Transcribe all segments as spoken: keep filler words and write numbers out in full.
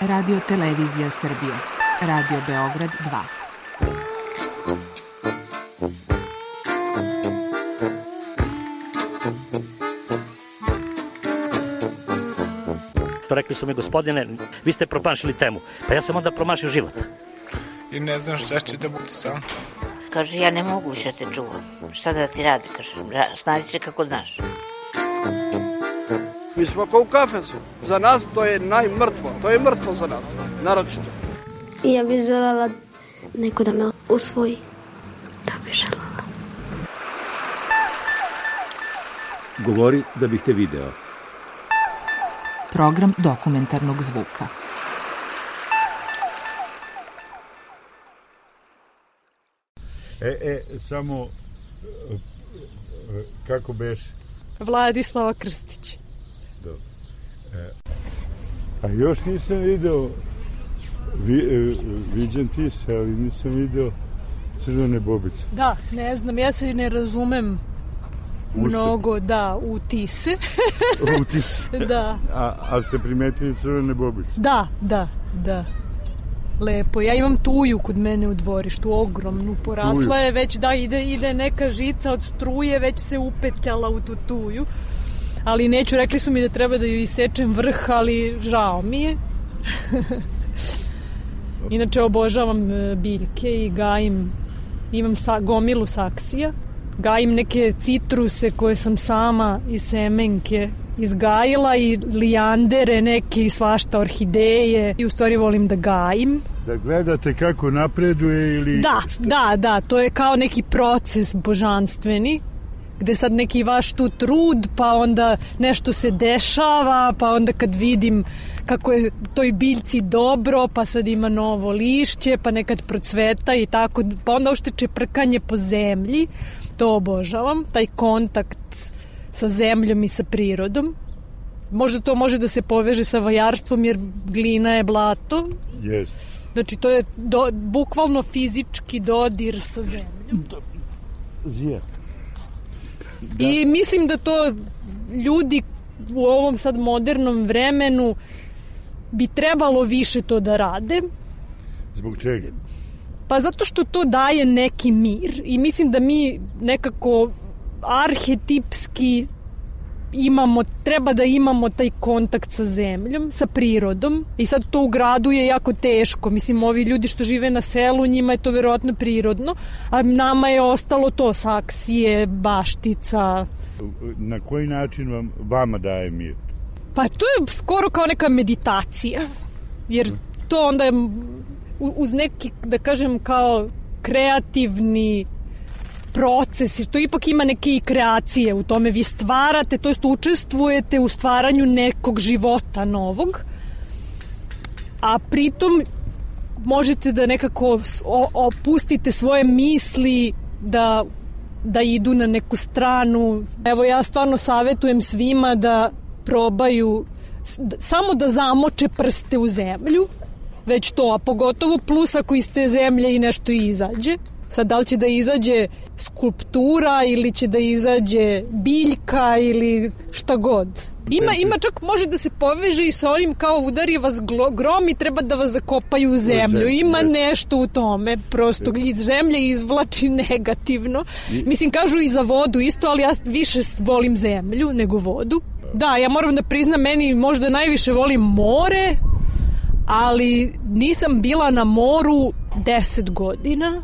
Radio Televizija Srbije. Radio Beograd dva. Rekli su mi, gospodine, vi ste promašili temu. Pa ja sam onda promašio život. I ne znam šta će da bude sam. Kaže, ja ne mogu više te čuvam. Šta da ti radi, kaže, snađi se kako znaš. Mi smo kao u kafesu. Za nas to je najmrtvo. To je mrtvo za nas, naročito. I ja bih želela neko da me usvoji. To bih želela. Govori da bih te video. Program dokumentarnog zvuka. E, e, samo, kako beš? Vladislava Krstić. Dobro. E, a još nisam video, vi, e, viđen ti se, ali nisam video Crvene bobice. Da, ne znam, ja se ne razumem Ušte? mnogo, da, u tise. U tise? Da. A, a ste primetili Crvene bobice? Da, da, da. Lepo. Ja imam tuju kod mene u dvorištu, ogromnu, porasla tuju. Je već, da, ide, ide neka žica od struje, već se upetljala u tu tuju. Ali neću, rekli su mi da treba da ju isečem vrh, ali žao mi je. Inače obožavam biljke i gajim, imam sa, gomilu saksija, gajim neke citruse koje sam sama iz semenke izgajila i lijandere, neke i svašta, orhideje, i u stvari volim da gajim. Da gledate kako napreduje ili... Da, šta? da, da, to je kao neki proces božanstveni, gde sad neki vaš tu trud, pa onda nešto se dešava, pa onda kad vidim kako je toj biljci dobro, pa sad ima novo lišće, pa nekad procveta i tako, pa onda ušte čeprkanje po zemlji, to obožavam, taj kontakt sa zemljom i sa prirodom. Možda to može da se poveže sa vajarstvom, jer glina je blato. Yes. Znači, to je do, bukvalno fizički dodir sa zemljom. Zije. Da. I mislim da to ljudi u ovom sad modernom vremenu bi trebalo više to da rade. Zbog čega? Pa zato što to daje neki mir i mislim da mi nekako arhetipski imamo, treba da imamo taj kontakt sa zemljom, sa prirodom, i sad to u gradu je jako teško. Mislim, ovi ljudi što žive na selu, njima je to verovatno prirodno, a nama je ostalo to, saksije, baštica. Na koji način vam, vama daje mir? Pa to je skoro kao neka meditacija, jer to onda je uz neki, da kažem, kao kreativni proces, to ipak ima neke i kreacije u tome, vi stvarate, to jest učestvujete u stvaranju nekog života novog, a pritom možete da nekako opustite svoje misli da, da idu na neku stranu. Evo, ja stvarno savjetujem svima da probaju samo da zamoče prste u zemlju, već to, a pogotovo plus ako iz te zemlje i nešto izađe. Sad, da li će da izađe skulptura ili će da izađe biljka ili šta god. Ima, ima čak, može da se poveže i sa onim kao udari vas grom i treba da vas zakopaju u zemlju. Ima nešto u tome, prosto iz zemlje izvlači negativno. Mislim, kažu i za vodu isto, ali ja više volim zemlju nego vodu. Da, ja moram da priznam, meni možda najviše volim more, ali nisam bila na moru deset godina.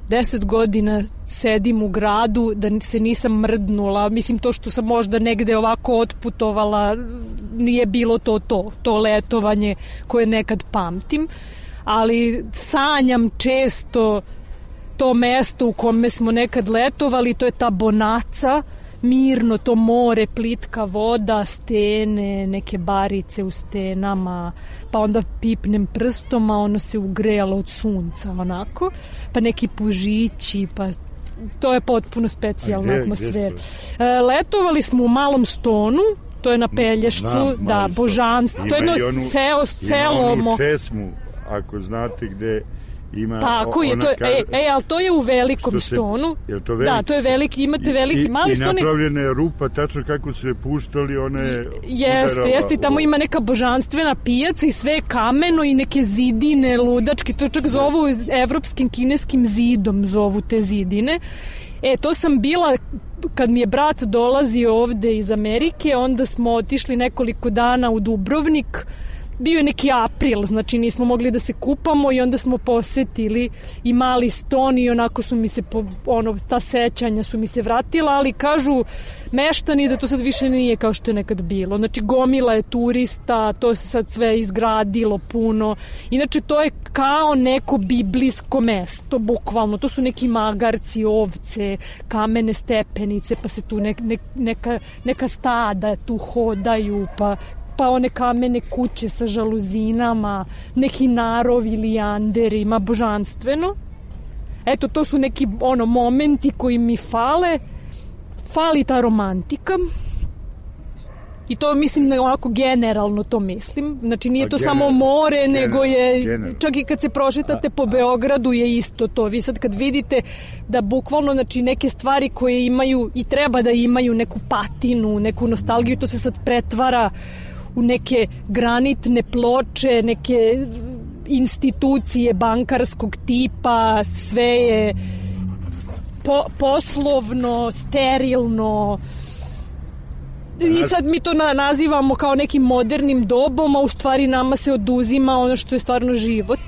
Deset godina sedim u gradu, da se nisam mrdnula. Mislim, to što sam možda negde ovako otputovala, nije bilo to to, to letovanje koje nekad pamtim. Ali sanjam često to mesto u kome smo nekad letovali, to je ta Bonaca, mirno, to more, plitka voda, stene, neke barice u stenama, pa onda pipnem prstom, a ono se ugrejalo od sunca, onako, pa neki pužići, pa to je potpuno specijalna atmosfera. Letovali smo u Malom Stonu, to je na Pelješcu, Znam, da, božanstvo, to je jedno selo, selo. Ima onu česmu, ako znate gde ima... Tako je, to je, e, e, ali to je u velikom se, Stonu. Je to veliki? Da, to je veliki, imate veliki, I, mali i Stone. I napravljena je rupa, tačno kako se puštali one... Jeste, udarava, jeste, tamo ima neka božanstvena pijaca i sve je kameno i neke zidine ludačke, to čak zovu evropskim kineskim zidom, zovu te zidine. E, to sam bila, kad mi je brat dolazio ovde iz Amerike, onda smo otišli nekoliko dana u Dubrovnik. Bio je neki april, znači nismo mogli da se kupamo i onda smo posetili i mali Ston i onako su mi se, po, ono, ta sećanja su mi se vratila, ali kažu meštani da to sad više nije kao što je nekad bilo. Znači gomila je turista, to se sad sve izgradilo puno. Inače to je kao neko biblijsko mesto, bukvalno. To su neki magarci, ovce, kamene stepenice, pa se tu ne, ne, neka, neka stada tu hodaju, pa pa one kamene kuće sa žaluzinama, neki narovi, lijanderima, božanstveno. Eto, to su neki ono momenti koji mi fale. Fali ta romantika. I to mislim, onako generalno to mislim. Znači nije to general, samo more, general, nego je, general. Čak i kad se prošetate po Beogradu je isto to. Vi sad kad vidite da bukvalno znači, neke stvari koje imaju i treba da imaju neku patinu, neku nostalgiju, to se sad pretvara u neke granitne ploče, neke institucije bankarskog tipa, sve je po, poslovno, sterilno. I sad mi to na, nazivamo kao nekim modernim dobom, a u stvari nama se oduzima ono što je stvarno život.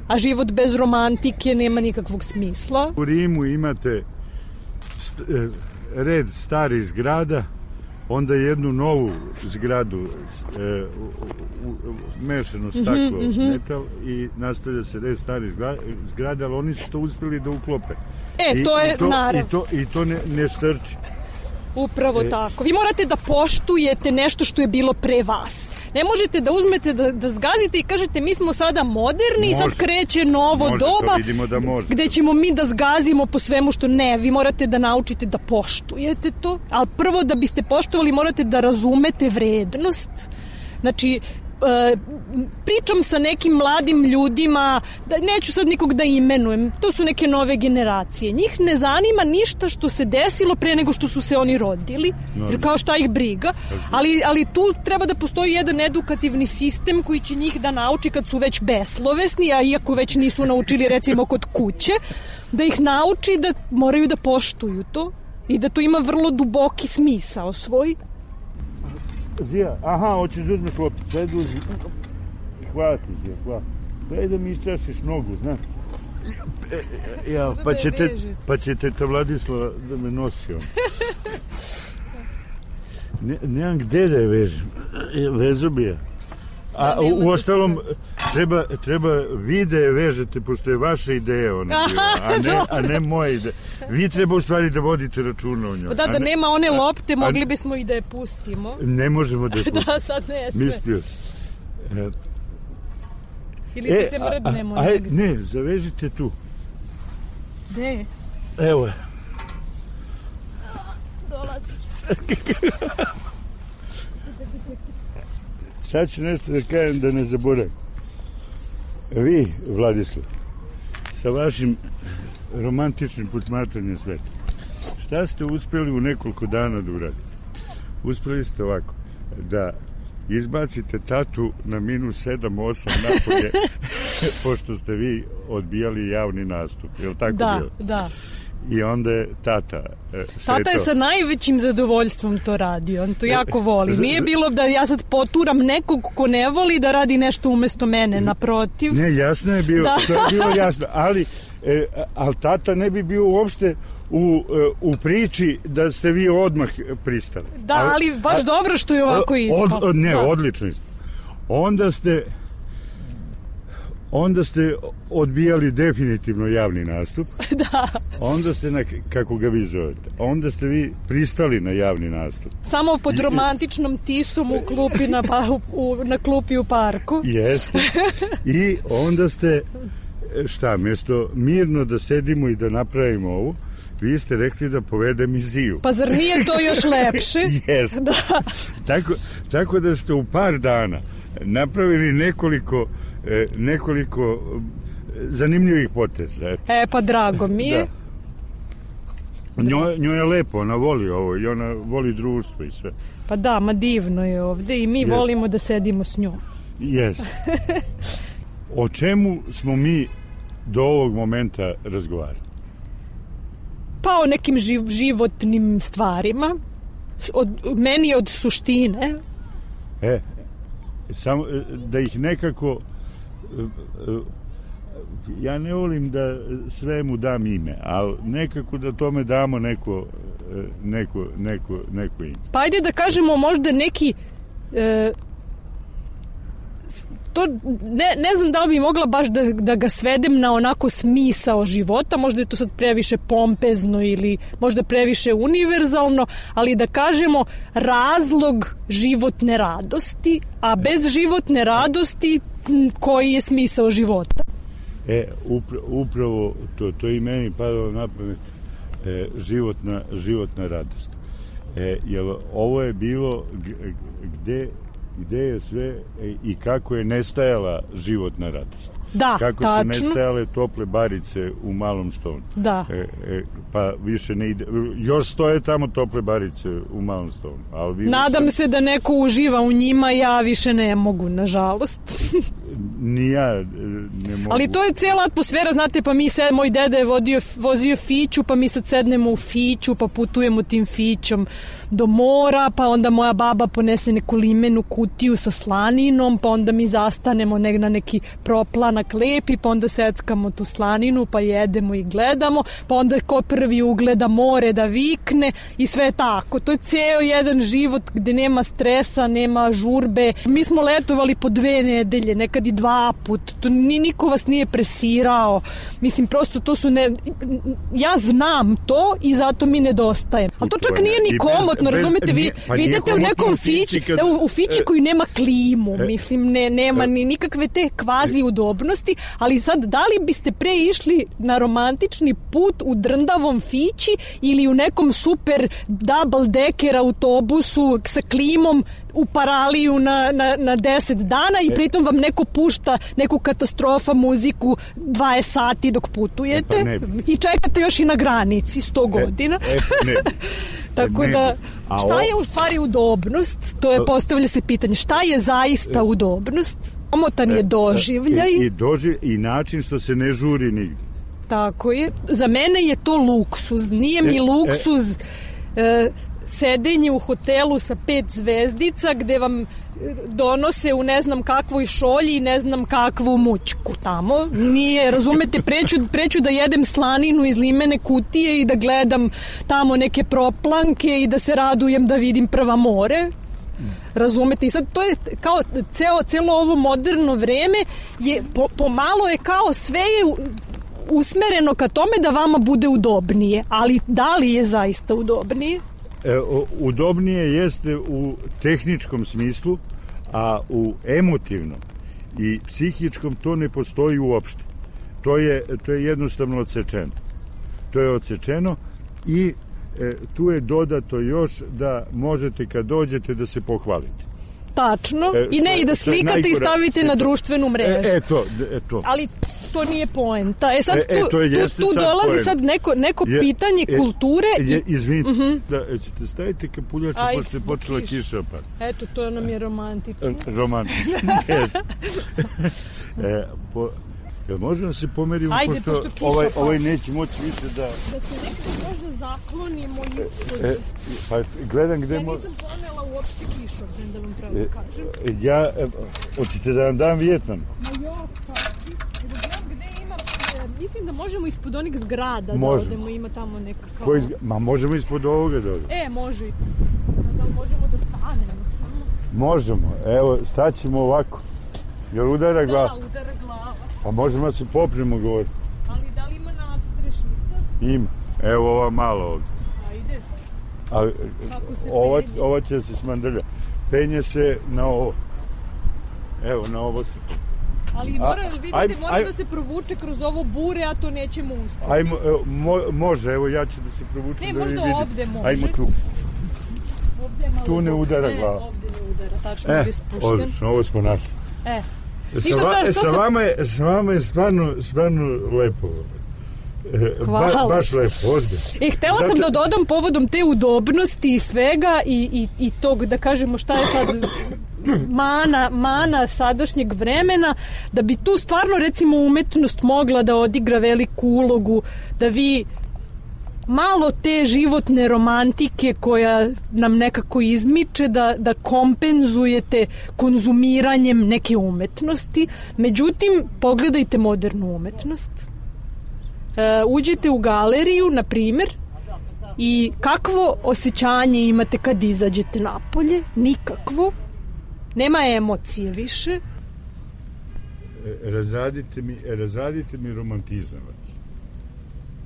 A život bez romantike nema nikakvog smisla. U Rimu imate st, red starih zgrada, onda jednu novu zgradu, e, u, u, mešano staklo, mm-hmm, metal i nastavlja se red starih zgrada, ali oni su to uspjeli da uklope. E, I, to je i to, naravno. I to, i to ne, ne štrči. Upravo e, tako. Vi morate da poštujete nešto što je bilo pre vas. Ne možete da uzmete, da, da zgazite i kažete mi smo sada moderni i sad kreće novo može, doba da gde ćemo mi da zgazimo po svemu što ne. Vi morate da naučite da poštujete to. Ali prvo da biste poštovali morate da razumete vrednost. Znači, e, pričam sa nekim mladim ljudima, da, neću sad nikog da imenujem, to su neke nove generacije. Njih ne zanima ništa što se desilo pre nego što su se oni rodili, jer kao šta ih briga, ali, ali tu treba da postoji jedan edukativni sistem koji će njih da nauči kad su već beslovesni, a iako već nisu naučili recimo kod kuće, da ih nauči da moraju da poštuju to i da to ima vrlo duboki smisao svoj. Zija, aha, hoćeš da uzmeš lopticu, ajde uzmi. Hvala ti, Zija, hvala. Daj da mi iščašiš nogu, znaš. E, ja, pa će, te, pa će teta Vladislava da me nosi on. Ne, nemam gde da je vežem. Vezu bi je. A u, u ostalom, treba, treba vi da je vežete, pošto je vaša ideja ona bila, a ne, a ne moja ideja. Vi treba u stvari da vodite računa o njoj. Pa da, da ne, nema one lopte, mogli bismo i da je pustimo. Ne možemo da je pustimo. Da, sad ne sve. Mislio sam. E, Ili da se mrdnemo. Aj, ne, zavežite tu. Gde? Evo je. Dolazi. Sad ću nešto da kažem da ne zaboravim. Vi, Vladislav, sa vašim romantičnim posmatranjem sveta, šta ste uspjeli u nekoliko dana da uradite? Uspjeli ste ovako, da izbacite tatu na minus sedam osam napolje, pošto ste vi odbijali javni nastup. Je li tako da, bilo? Da, I onda je tata e, Tata je sa najvećim zadovoljstvom to radio. On to jako voli. Nije bilo da ja sad poturam nekog ko ne voli da radi nešto umesto mene, naprotiv. Ne, jasno je bilo, to je bilo jasno. Ali, e, ali tata ne bi bio uopšte u, u priči da ste vi odmah pristali. Da, ali, ali baš a, dobro što je ovako ispao. Od, ne, da. Odlično ispao. Onda ste... Onda ste odbijali definitivno javni nastup. Da. Onda ste, na, kako ga vi zovete, onda ste vi pristali na javni nastup. Samo pod romantičnom tisom u klupi na, pa, u, na klupi u parku. Jeste. I onda ste, šta, mjesto mirno da sedimo i da napravimo ovu, vi ste rekli da povedem iz Ziju. Pa zar nije to još lepše? Jeste. Da. Tako, tako da ste u par dana napravili nekoliko E, nekoliko zanimljivih poteza. Eto. E, pa drago mi je. Da. Njoj, njoj je lepo, ona voli ovo i ona voli društvo i sve. Pa da, ma divno je ovde i mi Yes. volimo da sedimo s njom. Jes. O čemu smo mi do ovog momenta razgovarali? Pa o nekim živ, životnim stvarima. Od, meni od suštine. E, samo da ih nekako... Ja ne volim da svemu dam ime, ali nekako da tome damo neko, neko, neko, neko ime. Pa ajde da kažemo možda neki... E, to ne, ne znam da li bi mogla baš da, da ga svedem na onako smisao života, možda je to sad previše pompezno ili možda previše univerzalno, ali da kažemo razlog životne radosti, a bez životne radosti koji je smisao života? E, upra, upravo to, to i meni padalo na pamet, e, životna, životna radost. E, jer ovo je bilo gde gde je sve i kako je nestajala životna radost. Da, kako tačno. su nestajale tople barice u Malom Stonu. Da. E, e, pa više ne ide. Još stoje tamo tople barice u Malom Stonu. Ali vi nadam sam... se da neko uživa u njima, ja više ne mogu, nažalost. Ni ja ne mogu. Ali to je cijela atmosfera, znate, pa mi se, moj deda je vodio, vozio fiću, pa mi sad sednemo u fiću, pa putujemo tim fićom do mora, pa onda moja baba ponese neku limenu kutiju sa slaninom, pa onda mi zastanemo ne, na neki proplanak lepi, pa onda seckamo tu slaninu, pa jedemo i gledamo, pa onda ko prvi ugleda more da vikne i sve tako. To je ceo jedan život gde nema stresa, nema žurbe. Mi smo letovali po dve nedelje, nekad i dva put. To ni niko vas nije presirao. Mislim, prosto to su ne... Ja znam to i zato mi nedostaje. Ali to čak nije ni komotno, razumete? Vi, pa vi idete u nekom fići, kad... u, u fići koji nema klimu, mislim, ne, nema ni nikakve te kvazi udobnosti, ali sad, da li biste pre išli na romantični put u drndavom fići ili u nekom super double decker autobusu sa klimom u Paraliju na, na, na deset dana i pritom vam neko pušta neku katastrofa muziku dvadeset sati dok putujete e pa i čekate još i na granici sto godina. E, e, ne. Tako ne. da, šta o... je u stvari udobnost? To je, postavlja se pitanje, šta je zaista udobnost? Omotan je doživljaj. I, i, doživ, i način što se ne žuri nigde. Tako je. Za mene je to luksuz. Nije mi luksuz e, e, sedenje u hotelu sa pet zvezdica gde vam donose u ne znam kakvoj šolji i ne znam kakvu mućku tamo. Nije, razumete, preću, preću da jedem slaninu iz limene kutije i da gledam tamo neke proplanke i da se radujem da vidim prva more. Razumete? I sad to je kao ceo, celo ovo moderno vreme je, po, pomalo je kao sve je usmereno ka tome da vama bude udobnije. Ali da li je zaista udobnije? E, udobnije jeste u tehničkom smislu, a u emotivnom i psihičkom to ne postoji uopšte. To je, to je jednostavno odsečeno. To je odsečeno i e, tu je dodato još da možete kad dođete da se pohvalite. Tačno. E, I ne, i da slikate najgora, i stavite na to, društvenu mrežu. E, e, to, e, to. Ali to nije poenta. E sad tu, e, e, to je, tu, tu sad dolazi poenta. sad neko, neko je, pitanje e, kulture. Je, i... izvinite, uh-huh. da, ćete staviti kapuljače pošto je počela kiš. kiša pa. Eto, to nam je romantično. Romantično, jes. e, po, jel možemo da se pomerimo, ajde, pošto, pošto kiša, ovaj, pa. ovaj neće moći više da... Da se nekako možda zaklonimo ispod. E, pa gledam gde... Ja mo... nisam ponela uopšte kišobren, da vam pravo e, kažem. Ja, e, hoćete da vam dam Vijetnam? Ma jo, pa, gde ima, mislim da možemo ispod onih zgrada možemo. Da odemo, ima tamo neka kao... Koji zg... Ma možemo ispod ovoga da odemo. E, može. Da li možemo da stanemo samo? Možemo, evo, staćemo ovako. Jel udara glava? Da, udara glava. Pa možemo da se popremo govori. Ali da li ima nadstrešnica? Ima, evo ova malo ovdje. Ajde. A, kako se ova, penje? ova će se smandrlja. Penje se na ovo. Evo, na ovo se... Ali mora, vidite, aj, mora aj, da se provuče kroz ovo bure, a to nećemo uspjeti. Ajmo, mo, može, evo ja ću da se provučem. Ne, da možda vidim. ovde može. Ajmo tu. Ovde je malo tu ne udara ne, glava. Ovde ne udara, tačno e, je spušten. odlično, ovo smo našli. E, Ništa, va, sad, e, što sa, sam- vama je, sa vama je stvarno, stvarno lepo. E, Hvala. Ba, baš lepo, ozbiljno. E, htela sam da dodam povodom te udobnosti i svega i, i, i tog, da kažemo šta je sad mana, mana sadašnjeg vremena, da bi tu stvarno recimo umetnost mogla da odigra veliku ulogu, da vi malo te životne romantike koja nam nekako izmiče da, da kompenzujete konzumiranjem neke umetnosti. Međutim, pogledajte modernu umetnost. E, uđite u galeriju, na primjer, i kakvo osjećanje imate kad izađete napolje? Nikakvo. Nema emocije više. E, razradite mi, razradite mi romantizam.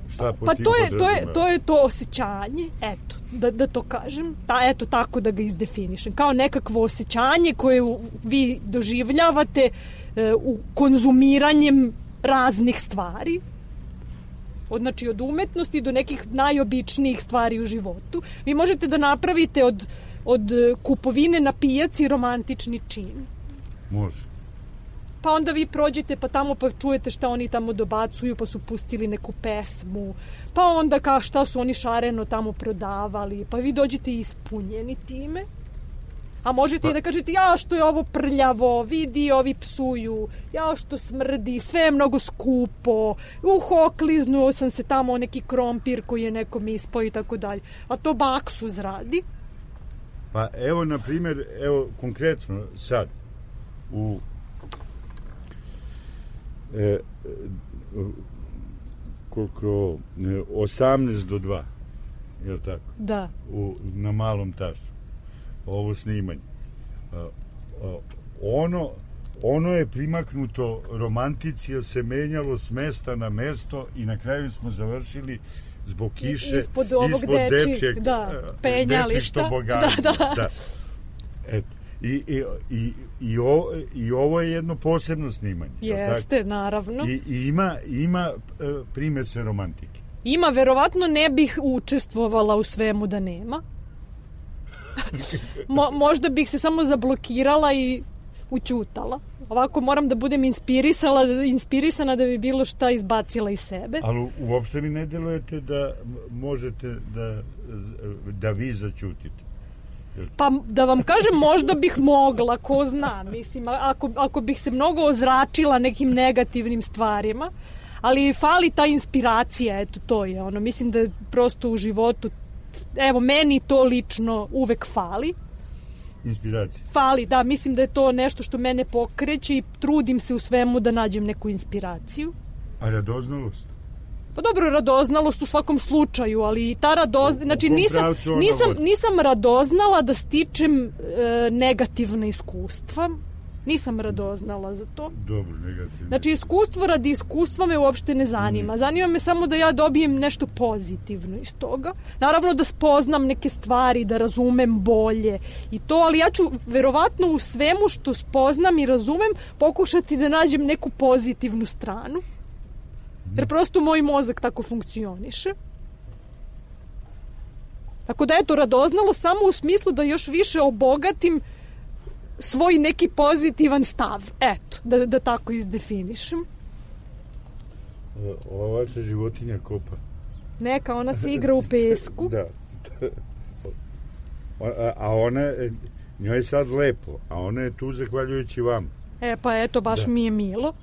Šta po Pa tim to je, to je, podrazumeva? to je to osjećanje, eto, da, da to kažem, ta, eto tako da ga izdefinišem, kao nekakvo osjećanje koje u- vi doživljavate e, u konzumiranjem raznih stvari, od, znači od umetnosti do nekih najobičnijih stvari u životu. Vi možete da napravite od, od e, kupovine na pijaci romantični čin. Može. Pa onda vi prođete pa tamo pa čujete šta oni tamo dobacuju, pa su pustili neku pesmu, pa onda kao šta su oni šareno tamo prodavali, pa vi dođete ispunjeni time. A možete Pa- i da kažete, ja što je ovo prljavo, vidi ovi psuju, ja što smrdi, sve je mnogo skupo, uh, okliznuo sam se tamo o neki krompir koji je nekom ispao i tako dalje. A to baksuz radi. Pa evo, na primjer, evo konkretno sad, u e, e, koliko, e, osamnaest do dva, je li tako? Da. U, na malom tašu. Ovo snimanje. A, a, ono, ono je primaknuto romantici, jer se menjalo s mesta na mesto i na kraju smo završili zbog kiše Ispod ovog dečijeg, dečijeg, da, e, penjališta. dečjeg tobogana. Da, da. Da. Eto. I, i, i, i, o, I ovo je jedno posebno snimanje. je li tako? Jeste, naravno. I, i ima, ima e, primese romantike. Ima, verovatno ne bih učestvovala u svemu da nema. Mo, možda bih se samo zablokirala i ućutala. Ovako moram da budem inspirisala, inspirisana da bi bilo šta izbacila iz sebe. Ali u- uopšte mi ne delujete da m- možete da, da vi začutite. Pa da vam kažem, možda bih mogla, ko zna, mislim, a- ako, ako bih se mnogo ozračila nekim negativnim stvarima, ali fali ta inspiracija, eto to je ono, mislim da prosto u životu, evo meni to lično uvek fali, Inspiracija. fali, da, mislim da je to nešto što mene pokreće i trudim se u svemu da nađem neku inspiraciju. A radoznalost? Pa dobro, radoznalost u svakom slučaju, ali i ta radoznalost, U- u znači kom nisam, pravcu ona nisam, vodi? nisam radoznala da stičem e, negativna iskustva, nisam radoznala za to. Dobro, negativno. Znači iskustvo radi iskustva me uopšte ne zanima. Zanima me samo da ja dobijem nešto pozitivno iz toga. Naravno da spoznam neke stvari, da razumem bolje i to, ali ja ću verovatno u svemu što spoznam i razumem pokušati da nađem neku pozitivnu stranu. Jer prosto moj mozak tako funkcioniše. Tako da eto, radoznalo samo u smislu da još više obogatim svoj neki pozitivan stav. Eto, da, da tako izdefinišem. E, Ova vaša životinja kopa. Neka, ona se igra u pesku. Da. A, a ona, e, njoj je sad lepo, a ona je tu zahvaljujući vam. E pa eto, baš Da. mi je milo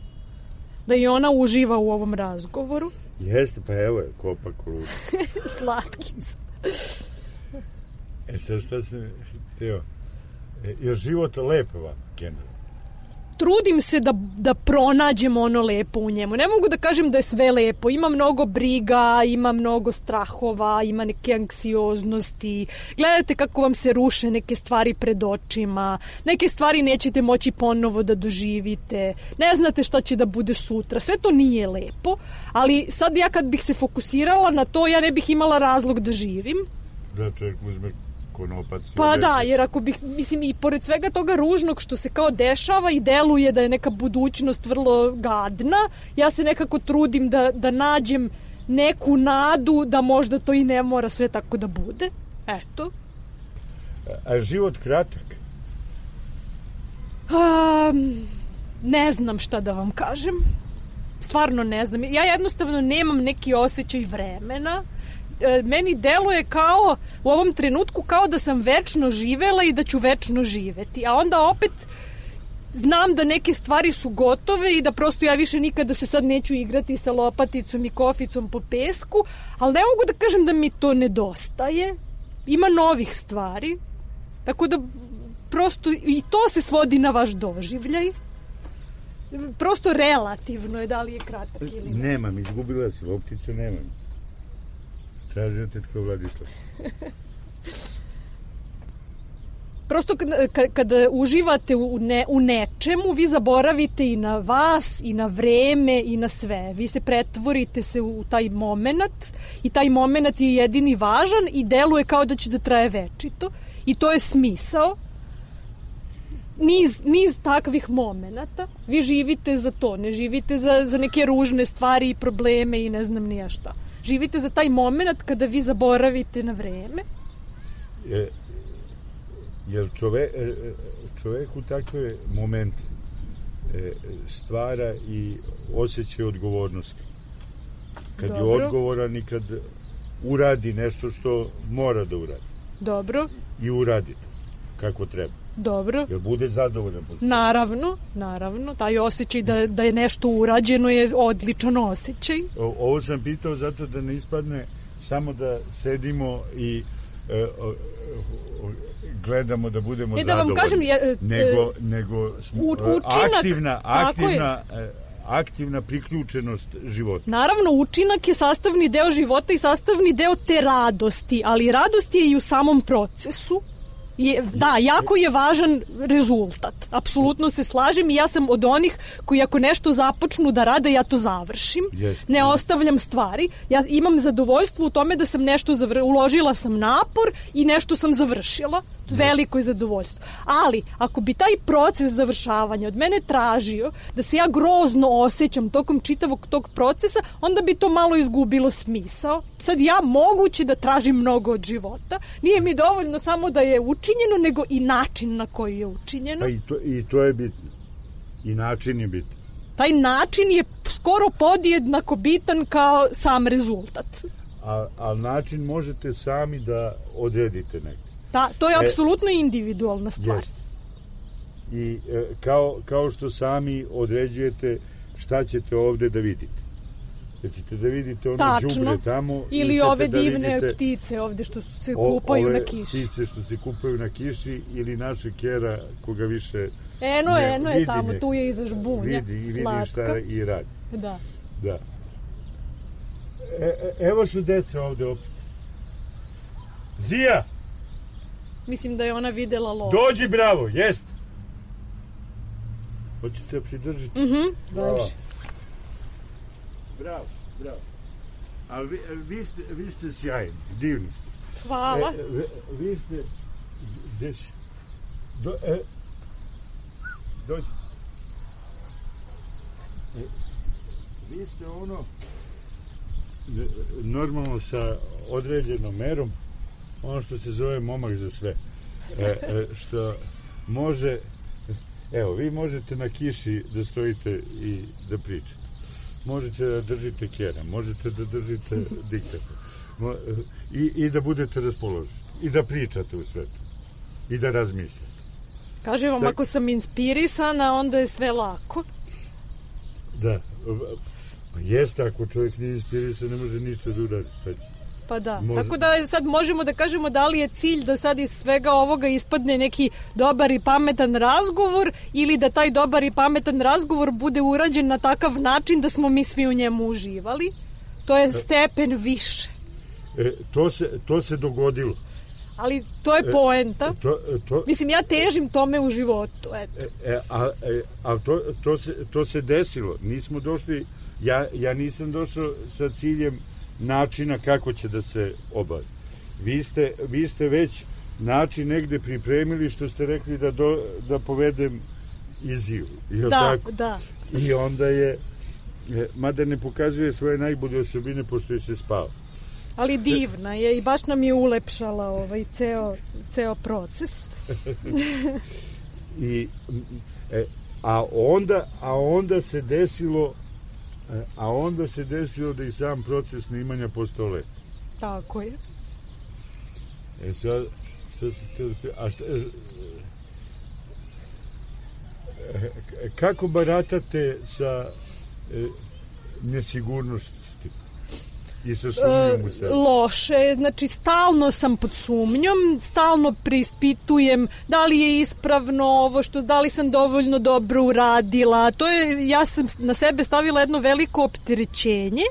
da i ona uživa u ovom razgovoru. Jeste, pa evo je, kopa koluda. Slatkica. E sad šta se htio? E, je život lepo vam, generalno? Trudim se da, da pronađem ono lepo u njemu. Ne mogu da kažem da je sve lepo. Ima mnogo briga, ima mnogo strahova, ima neke anksioznosti. Gledate kako vam se ruše neke stvari pred očima. Neke stvari nećete moći ponovo da doživite. Ne znate šta će da bude sutra. Sve to nije lepo, ali sad ja kad bih se fokusirala na to, ja ne bih imala razlog da živim. Da čovjek uzme konopac. Pa da, jer ako bih, mislim, i pored svega toga ružnog što se kao dešava i deluje da je neka budućnost vrlo gadna, ja se nekako trudim da, da nađem neku nadu da možda to i ne mora sve tako da bude. Eto. A život kratak? A, ne znam šta da vam kažem. Stvarno ne znam. Ja jednostavno nemam neki osjećaj vremena. E, meni deluje kao, u ovom trenutku, kao da sam večno živela i da ću večno živeti. A onda opet znam da neke stvari su gotove i da prosto ja više nikada se sad neću igrati sa lopaticom i koficom po pesku, ali ne mogu da kažem da mi to nedostaje. Ima novih stvari. Tako da prosto i to se svodi na vaš doživljaj. Prosto relativno je da li je kratak ili ne. Nemam, izgubila se lopticu, nemam. Tražio tetka Vladislav. Prosto kada, kada uživate u, ne, u nečemu, vi zaboravite i na vas, i na vreme, i na sve. Vi se pretvorite se u taj moment i taj moment je jedini važan i deluje kao da će da traje večito. I to je smisao. Niz, niz takvih momenata. Vi živite za to, ne živite za, za neke ružne stvari i probleme i ne znam nija šta. Živite za taj moment kada vi zaboravite na vreme. Je, jer čove, čovek u takve momente stvara i osjećaj odgovornosti. Kad Dobro. je odgovoran i kad uradi nešto što mora da uradi. Dobro. I uradi to kako treba. Dobro. Jer bude zadovoljan. Naravno, naravno. Taj osjećaj da, da je nešto urađeno je odličan osjećaj. O, ovo sam pitao zato da ne ispadne samo da sedimo i e, o, o, gledamo da budemo e, da zadovoljni. Vam kažem, ja, e, nego, nego smo, u, učinak, aktivna, aktivna, aktivna priključenost života. Naravno, učinak je sastavni deo života i sastavni deo te radosti, ali radost je i u samom procesu. Je, da, jako je važan rezultat. Apsolutno se slažem i ja sam od onih koji ako nešto započnu da rade, ja to završim. Yes. Ne ostavljam stvari. Ja imam zadovoljstvo u tome da sam nešto zavr... uložila sam napor i nešto sam završila. Veliko je zadovoljstvo. Ali, ako bi taj proces završavanja od mene tražio da se ja grozno osjećam tokom čitavog tog procesa, onda bi to malo izgubilo smisao. Sad ja moguće da tražim mnogo od života. Nije mi dovoljno samo da je učinjeno, nego i način na koji je učinjeno. Pa i to, i to je bitno. I način je bitan. Taj način je skoro podjednako bitan kao sam rezultat. A, a način možete sami da odredite negdje. Da, to je apsolutno e, individualna stvar. Jest. I e, kao, kao što sami određujete šta ćete ovde da vidite. Da ćete da vidite ono đubre tamo. Ili ove da divne vidite, ptice ovde što se kupaju o, na kiši. Ptice što se kupaju na kiši ili naše kera koga više... Eno, ne, eno je tamo, ne, tu je iza žbunja. Vidi i vidi šta i radi. Da. Da. E, evo su deca ovde opet. Zija! Mislim da je ona videla lov. Dođi, bravo, jest. Hoćete pridržiti? Mhm, bravo. Bravo, bravo. Ali vi, vi, ste, vi ste sjajni, divni ste. Hvala. E, vi, vi ste... Gde si? Do, e, dođi. E, vi ste ono... Normalno sa određenom merom, ono što se zove momak za sve. E, e, što može... Evo, vi možete na kiši da stojite i da pričate. Možete da držite kera, možete da držite diktafon. I, I da budete raspoloženi. I da pričate u svetu. I da razmišljate. Kažem vam, tak, ako sam inspirisana, onda je sve lako. Da. Pa jeste, ako čovjek nije inspirisan, ne može ništa da uradi. Šta će? Pa da, Može... tako da sad možemo da kažemo da li je cilj da sad iz svega ovoga ispadne neki dobar i pametan razgovor ili da taj dobar i pametan razgovor bude urađen na takav način da smo mi svi u njemu uživali. To je stepen više. E, to, se, to se dogodilo. Ali to je poenta. E, to, to... Mislim, ja težim tome u životu. Eto. E, a e, a to, to, se, to se desilo. Nismo došli, ja, ja nisam došao sa ciljem načina kako će da se obavi. Vi ste, vi ste već način negde pripremili što ste rekli da, do, da povedem Iziju. Da, tako? da. I onda je, mada ne pokazuje svoje najbolje osobine pošto je se spava. Ali divna je i baš nam je ulepšala ovaj ceo, ceo proces. I e, a onda a onda se desilo a onda se desilo da i sam proces snimanja postao lep. Tako je. E sad, šta sam htio da... A šta, kako baratate sa e, nesigurnosti i sa sumnjom u sebe? E, loše, znači stalno sam pod sumnjom, stalno preispitujem da li je ispravno ovo što, da li sam dovoljno dobro uradila. To je, ja sam na sebe stavila jedno veliko opterećenje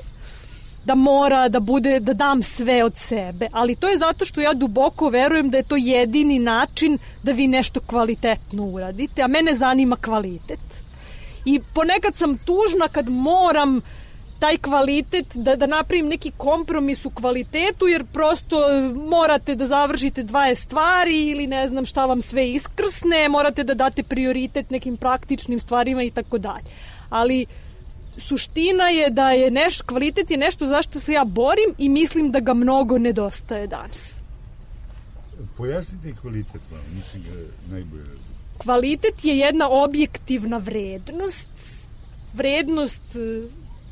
da mora da bude, da dam sve od sebe, ali to je zato što ja duboko verujem da je to jedini način da vi nešto kvalitetno uradite, a mene zanima kvalitet. I ponekad sam tužna kad moram taj kvalitet, da, da napravim neki kompromis u kvalitetu, jer prosto morate da završite dvadeset stvari ili ne znam šta vam sve iskrsne, morate da date prioritet nekim praktičnim stvarima i tako dalje. Ali suština je da je neš, kvalitet je nešto zašto se ja borim i mislim da ga mnogo nedostaje danas. Pojasnite kvalitet, mislim da je najbolje razumije. Kvalitet je jedna objektivna vrednost, vrednost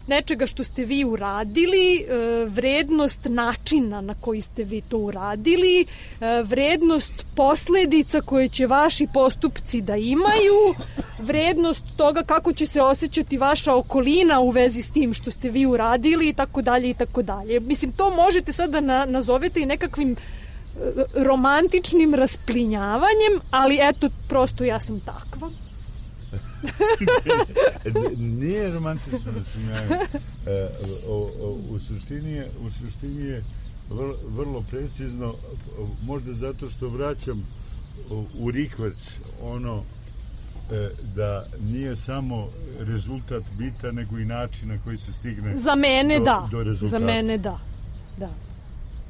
nečega što ste vi uradili, vrednost načina na koji ste vi to uradili, vrednost posledica koje će vaši postupci da imaju, vrednost toga kako će se osjećati vaša okolina u vezi s tim što ste vi uradili i tako dalje i tako dalje. Mislim, to možete sad da na, nazovete i nekakvim romantičnim rasplinjavanjem, ali eto, prosto ja sam takva. Nije romantično rasplinjavanje. E, u suštini je, u suštini je vrlo, vrlo precizno, možda zato što vraćam u rikvac ono e, da nije samo rezultat bitan, nego i način na koji se stigne za mene do, da. do rezultata. Za mene da. Da.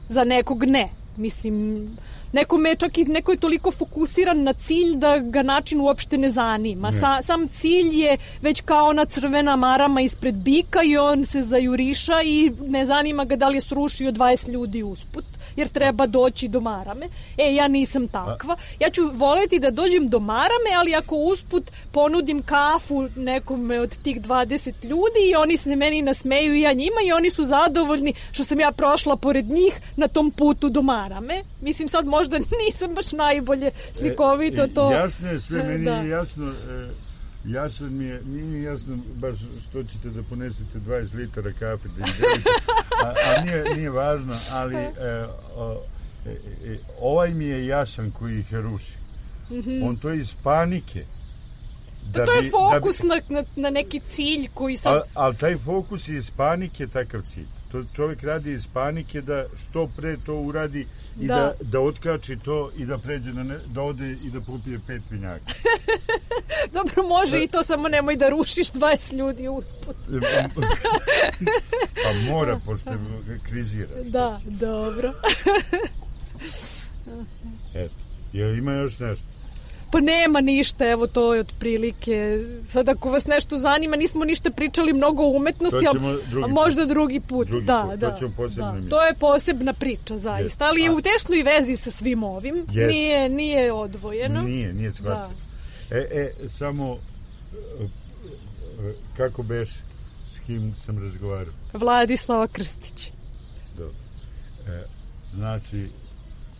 Za nekog ne. Mislim, nekome je čak i neko je toliko fokusiran na cilj da ga način uopšte ne zanima. Ne. Sa, sam cilj je već kao ona crvena marama ispred bika i on se zajuriša i ne zanima ga da li je srušio dvadeset ljudi usput, jer treba doći do marame. E, ja nisam takva. Ja ću voleti da dođem do marame, ali ako usput ponudim kafu nekome od tih dvadeset ljudi i oni se meni nasmeju i ja njima i oni su zadovoljni što sam ja prošla pored njih na tom putu do marame. Mislim, sad možda nisam baš najbolje slikovito to. E, jasno je, sve meni da. je jasno. E, jasno mi je, nije mi jasno baš što ćete da ponesete dvadeset litara kafe da izdelite, a, a nije, nije važno, ali e, o, e, e, ovaj mi je jasan koji ih ruši. Mm-hmm. On to je iz panike. Da to bi, je fokus da bi, na, na neki cilj koji sad... Ali al taj fokus je iz panike takav cilj. To čovjek radi iz panike da što pre to uradi i da, da, da otkači to i da pređe na ne, da ode i da popije pet vinjaka. Dobro, može da. I to, samo nemoj da rušiš dvadeset ljudi usput. Pa mora, pošto krizira. Da, dobro. Eto, jel ima još nešto? Pa nema ništa, evo to je otprilike. Sad ako vas nešto zanima, nismo ništa pričali mnogo o umetnosti, ali možda drugi put. Drugi da, put. Da, to, da. To je posebna priča, zaista. Ali je u tesnoj vezi sa svim ovim. Yes. Nije, nije odvojeno. Nije, nije shvatio. E, e, samo kako beš, s kim sam razgovarao? Vladislava Krstić. Dobro. E, znači,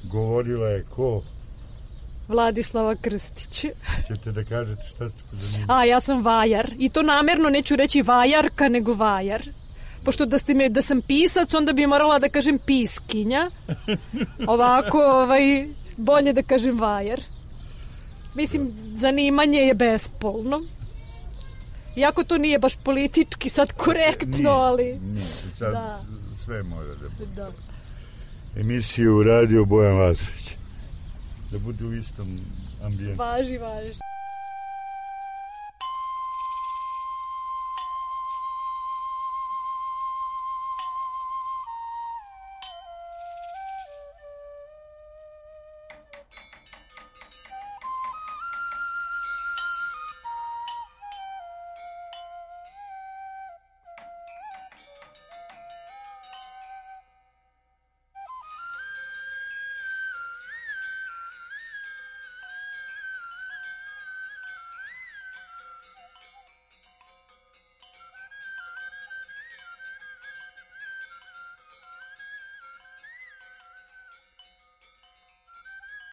govorila je ko? Vladislava Krstić. Ćete da kažete šta ste pozanimali? A, ja sam vajar. I to namerno neću reći vajarka, nego vajar. Pošto da, ste me, da sam pisac, onda bi morala da kažem piskinja. Ovako, ovaj, bolje da kažem vajar. Mislim, zanimanje je bespolno. Iako to nije baš politički sad korektno, nije, ali... Nije, sad da. Sve mora da bude. Da. Emisiju radio Bojan Lazović. Da bude u istom ambijentu. Važi, važi.